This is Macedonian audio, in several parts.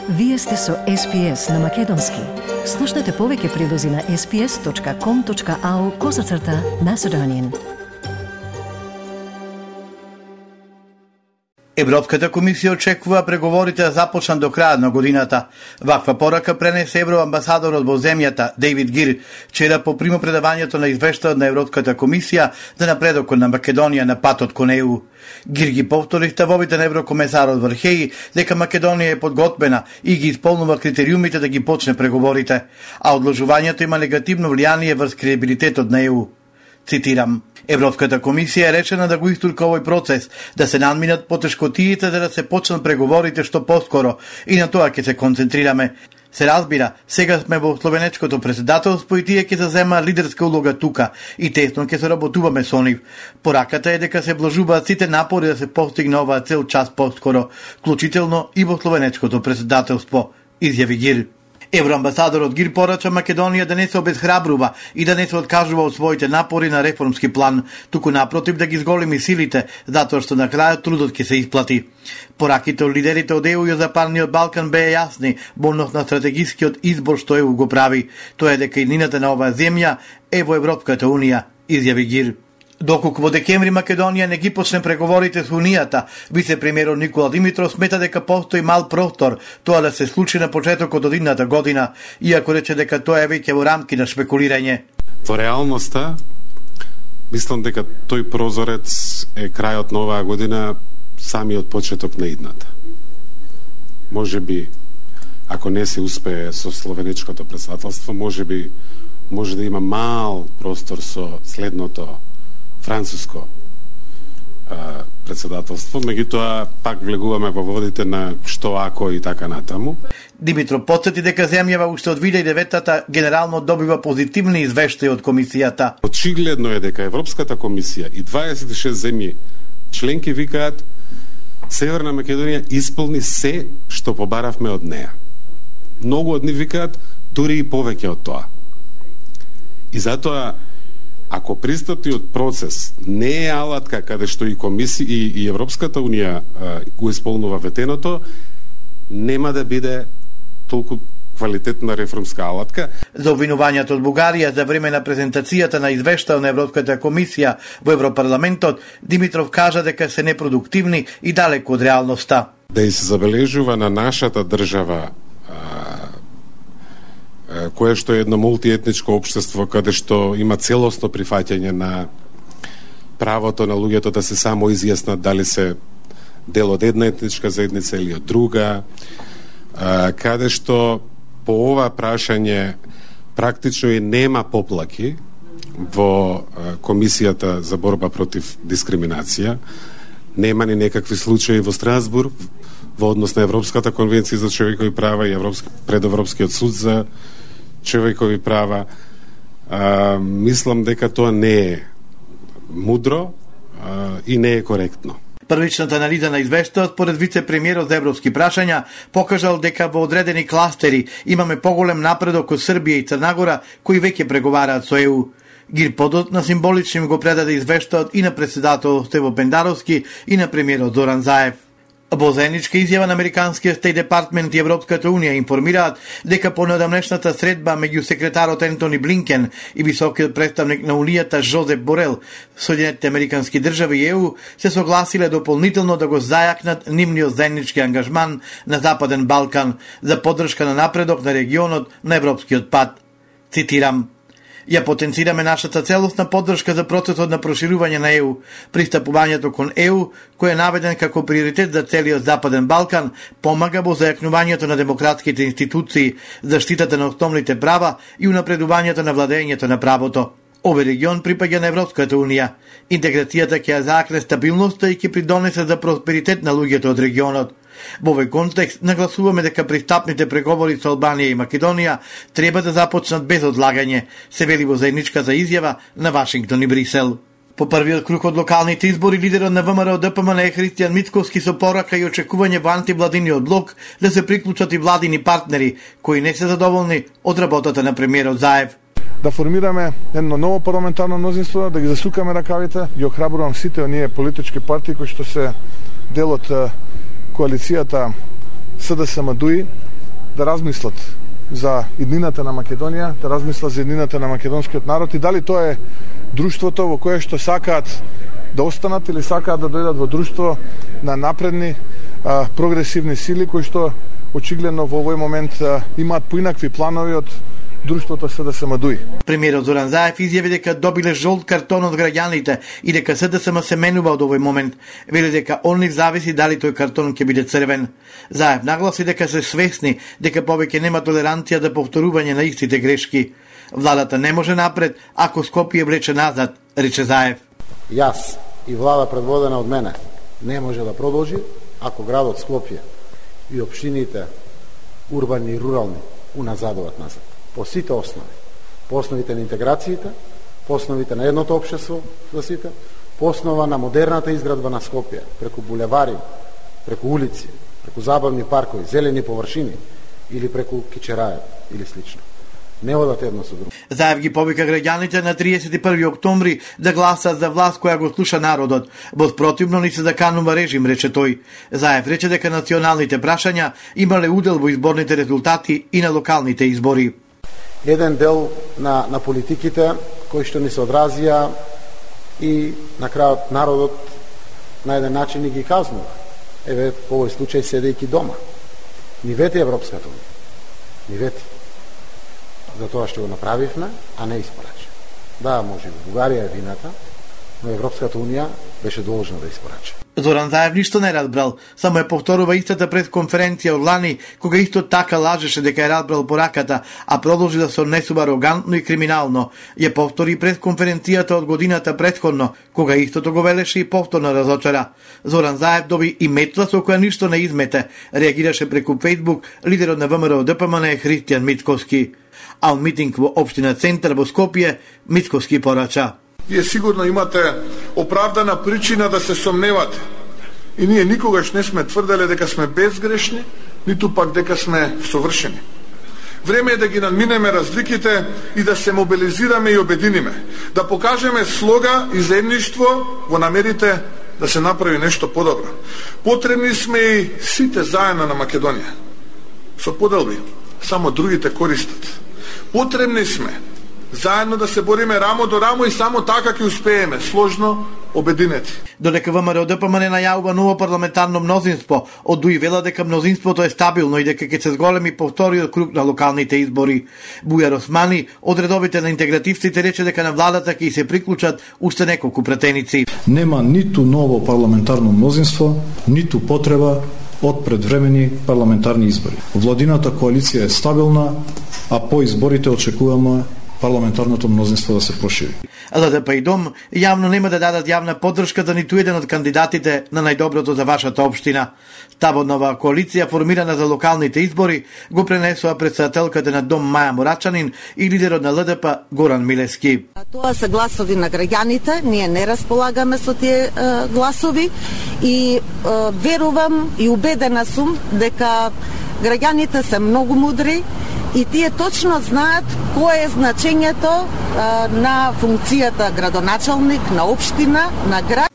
Вие сте со SPS на Македонски. Слушнете повеќе прилози на sps.com.au/Macedonian. Европската комисија очекува преговорите да започнат до крајот на годината. Ваква порака пренесе евроамбасадорот во земјата Дейвид Гир вчера по примопредавањето на извештајот на Европската комисија за напредокот на Македонија на патот кон ЕУ. Гир ги повтори ставовите на еврокомесарот Вархеи дека Македонија е подготвена и ги исполнува критериумите да ги почне преговорите, а одложувањето има негативно влијание врз кредибилитетот на ЕУ. Цитирам: Европската комисија е речена да го истурка овој процес, да се надминат потешкотиите за да се почнат преговорите што поскоро и на тоа ќе се концентрираме. Се разбира, сега сме во словенечкото претседателство и тие ќе зазема лидерска улога тука и тесно ќе се работуваме со нив. Пораката е дека се вложуваат сите напори да се постигне оваа цел час поскоро, вклучително и во словенечкото претседателство, изјави Гир. Евроамбасадорот Гир порача Македонија да не се обезхрабрува и да не се откажува од своите напори на реформски план, туку напротив да ги зголеми силите, затоа што на крајот трудот ќе се исплати. Пораките од лидерите од ЕУ и Западниот Балкан беа јасни во однос на стратегискиот избор што ЕУ го прави. Тоа е дека иднината на оваа земја е во Европската Унија, изјави Гир. Доколку во декември Македонија не ги почне преговорите со Унијата, вице-премиерот Никола Димитров смета дека постои мал простор тоа да се случи на почетокот од идната година, иако рече дека тоа е веќе во рамки на шпекулирање. Во реалноста, мислам дека тој прозорец е крајот на оваа година, самиот почеток на идната. Може би, ако не се успее со словенечкото претседателство, може да има мал простор со следното француско претседателство, меѓутоа пак влегуваме во водите на што ако и така натаму. Димитров потсети дека земјава уште од 2009-та генерално добива позитивни извештаи од комисијата. Очигледно е дека Европската комисија и 26 земји членки викаат Северна Македонија исполни се што побаравме од неа. Многу од нив викаат дури и повеќе од тоа. И затоа ако пристапниот процес не е алатка каде што и комисија и Европската Унија го исполнува ветеното, нема да биде толку квалитетна реформска алатка. За обвинувањето од Бугарија за време на презентацијата на извештај на Европската комисија во Европарламентот, Димитров кажа дека се непродуктивни и далеку од реалноста. Да и се забележува на нашата држава кое што е едно мултиетничко општество каде што има целосно прифаќање на правото на луѓето да се само изјаснат дали се дел од една етничка заедница или од друга, каде што по ова прашање практично и нема поплаки во Комисијата за борба против дискриминација, нема ни некакви случаи во Страсбург во однос на Европската конвенција за човекови права и пред Европскиот суд за човекови права. Мислам дека тоа не е мудро и не е коректно. Првичната анализа на извештајот според вице-премиерот за европски прашања покажал дека во одредени кластери имаме поголем напредок од Србија и Црнагора кои веќе преговараат со ЕУ. Гир подотна символично им го предаде извештајот и на претседателот Стево Пендаровски и на премиерот Зоран Заев. Во заедничка изјава на американскиот Стейт Департмент и Европската Унија информираат дека по неодамнешната средба меѓу секретарот Ентони Блинкен и високиот представник на Унијата Жозеп Борел, Соединетите американски држави и ЕУ се согласиле дополнително да го зајакнат нивниот заеднички ангажман на Западен Балкан за поддршка на напредок на регионот на европскиот пат. Цитирам: Ја потенцираме нашата целосна поддршка за процесот на проширување на ЕУ. Пристапувањето кон ЕУ, кој е наведен како приоритет за целиот Западен Балкан, помага во зајакнувањето на демократските институции, заштитата на основните права и унапредувањето на владењето на правото. Овој регион припаѓа на Европската Унија. Интеграцијата ќе ја заакне стабилноста и ќе придонесе за просперитет на луѓето од регионот. Во овој контекст нагласуваме дека пристапните преговори со Албанија и Македонија треба да започнат без одлагање, се вели во заедничката изјава на Вашингтон и Брисел. По првиот круг од локалните избори, лидерот на ВМРО ДПМН е Христијан Мицковски со порака и очекување во антивладиниот блок да се приклучат и владини партнери кои не се задоволни од работата на премиерот Заев. Да формираме едно ново парламентарно мнозинство, да ги засукаме ракавите, ги охрабрувам сите оние политички партии кои што се дел од коалицијата СДСМ-ДУИ да размислат за иднината на Македонија, да размислат за иднината на македонскиот народ и дали тоа е друштвото во кое што сакаат да останат или сакаат да дојдат во друштво на напредни, прогресивни сили кои што очигледно во овој момент имаат поинакви планови од друштвото СДСМ-ДУИ. Премиерот Зоран Заев изјави дека добиле жолт картон од граѓаните и дека СДСМ се менува од овој момент. Вели дека од нив зависи дали тој картон ќе биде црвен. Заев нагласи дека се свесни дека повеќе нема толеранција за повторување на истите грешки. Владата не може напред ако Скопје влече назад, рече Заев. Јас и влада предводена од мене не може да продолжи ако градот Скопје и општините урбани и рурални уназадуваат назад. По сите основи. По основите на интеграциите, по основите на едното општество за сите, по основа на модерната изградба на Скопје, преку булевари, преку улици, преку забавни паркови, зелени површини или преку кичераја или слично. Не одат едно со друго. Заев ги повика граѓаните на 31 октомври да гласат за власт која го слуша народот. Во спротивно ни се заканува режим, рече тој. Заев рече дека националните прашања имале удел во изборните резултати и на локалните избори. Еден дел на политиките кои што ни се одразија и на крајот народот на еден начин ни ги казнува. Еве, по овој случај седејќи дома. Ни вети Европската унија. Ни вети. За тоа што го направивме, а не испорача. Да, може во Бугарија е вината, но Европската унија беше должна да испорача. Зоран Заев ништо не разбрал, само е повторува истата пресконференција од лани, кога исто така лажеше дека е разбрал пораката, а продолжи да се однесува арогантно и криминално. Ја повтори пресконференцијата од годината претходно, кога истото го велеше и повторно разочара. Зоран Заев доби и метла со која ништо не измете, реагираше преку Фејсбук лидерот на ВМРО ДПМН Христијан Мицковски. А од митинг во општина Центар во Скопје, Мицковски порача. Вие сигурно имате оправдана причина да се сомневате. И ние никогаш не сме тврделе дека сме безгрешни, ниту пак дека сме совршени. Време е да ги надминеме разликите и да се мобилизираме и обединиме. Да покажеме слога и заедништво во намерите да се направи нешто подобро. Потребни сме и сите заедно на Македонија. Со поделби, само другите користат. Потребни сме заедно да се бориме рамо до рамо и само така ќе успееме, сложно, обединети. Додека ВМРО ДПМН најавува ново парламентарно мнозинство, од ДУИ вела дека мнозинството е стабилно и дека ќе се зголеми повториот круг на локалните избори. Бујар Османи, од редовите на интегративците, рече дека на владата ќе се приклучат уште неколку пратеници. Нема ниту ново парламентарно мнозинство, ниту потреба од предвремени парламентарни избори. Владината коалиција е стабилна, а по изборите очекуваме парламентарното мнозинство да се прошири. ЛДП и ДОМ јавно нема да дадат јавна поддршка за ниту еден од кандидатите на најдоброто за вашата општина. Табот нова коалиција формирана за локалните избори го пренесува председателката на ДОМ Маја Мурачанин и лидерот на ЛДП Горан Милевски. Тоа се гласови на граѓаните, ние не располагаме со тие гласови и верувам и убедена сум дека граѓаните се многу мудри и тие точно знаат кое е значењето на функцијата градоначалник, на општина, на град.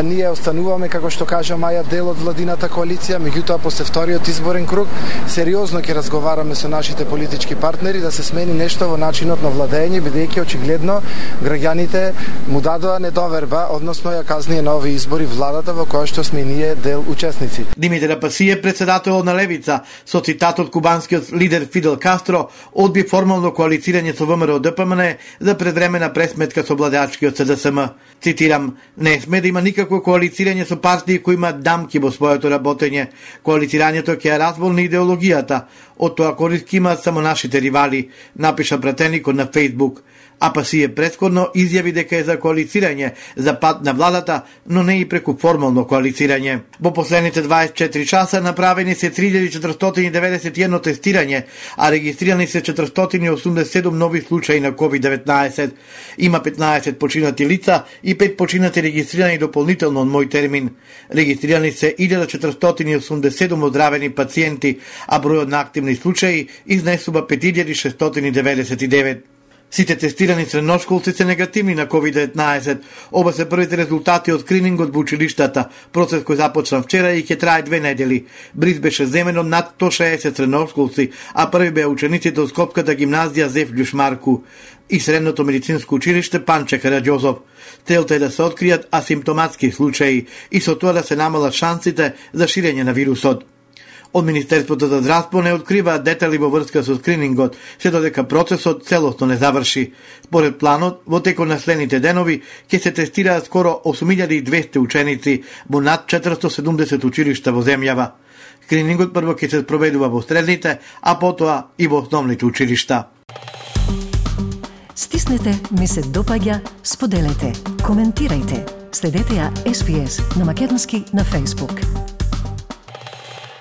Ние остануваме, како што кажа Маја, дел од владината коалиција, меѓутоа после вториот изборен круг сериозно ќе разговараме со нашите политички партнери да се смени нешто во начинот на владење, бидејќи очигледно граѓаните му дадоа недоверба, односно ја казнија на овие избори владата во која што сме ние дел учесници. Димитар Апасиев, председател на Левица, со цитат од кубанскиот лидер Фидел Кастро, одби формално коалицирање со ВМРО ДПМН за предвремена пресметка со владеачкиот СДСМ. Цитирам: "Не сме да има никакво коалицирање со партии кои имаат дамки во своето работење. Коалицирањето ќе ја разболни идеологијата. Од тоа корист имаат само нашите ривали", напиша пратеникот на Фејсбук. Апасиев претходно изјави дека е за коалицирање за пат на владата, но не и преку формално коалицирање. Во последните 24 часа направени се 3491 тестирање, а регистрирани се 487 нови случаи на COVID-19. Има 15 починати лица и 5 починати регистрирани дополнително од мој термин. Регистрирани се 1487 оздравени пациенти, а бројот на активни случаи изнесува 5699. Сите тестирани средношколци се негативни на COVID-19. Оба се првите резултати од скринингот во училиштата, процес кој започна вчера и ќе трае 2 недели. Бриз беше земен од над 160 средношколци, а први беа учениците од Скопската гимназија Зеф Љушмарку и Средното медицинско училиште Панче Караѓозов. Целта е да се откријат асимптоматски случаи и со тоа да се намалат шансите за ширење на вирусот. Од Министерството за здравство не откриваат детали во врска со скринингот, се додека процесот целосно не заврши. Според планот, во текот на следните денови ќе се тестираат скоро 8200 ученици во над 470 училишта во земјава. Скринингот прво ќе се спроведува во средните, а потоа и во основните училишта. Стиснете, ми се допаѓа, споделете, коментирајте. Следете ја SPS на Македонски на Facebook.